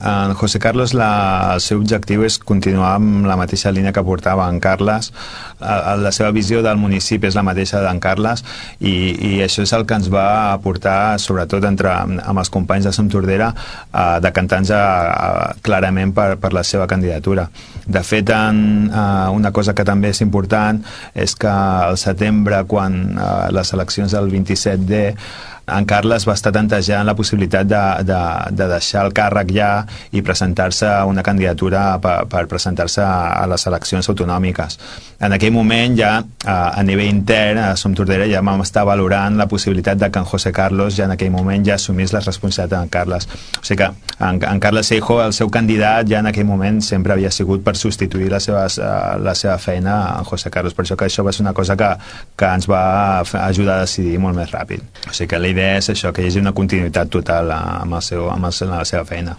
En José Carlos el seu objectiu és continuar amb la mateixa línia que portava en Carles. La seva visió del municipi és la mateixa d'en Carles i això és el que ens va aportar, sobretot amb els companys de Som Tordera, decantant-nos clarament per la seva candidatura. De fet, una cosa que també és important és que al setembre, quan les eleccions del 27D, en Carles va estar tantejant la possibilitat de deixar el càrrec ja i presentar-se a una candidatura per presentar-se a les eleccions autonòmiques. En aquell moment ja a nivell intern a Som Tordera ja vam estar valorant la possibilitat de que en José Carlos ja en aquell moment ja assumís les responsabilitats d'en Carles. O sigui que en Carles Seijo, el seu candidat, ja en aquell moment sempre havia sigut per substituir la seva feina en José Carlos. Per això que això va ser una cosa que ens va ajudar a decidir molt més ràpid. O sigui que la idea és això, que hi hagi una continuïtat total amb la seva feina.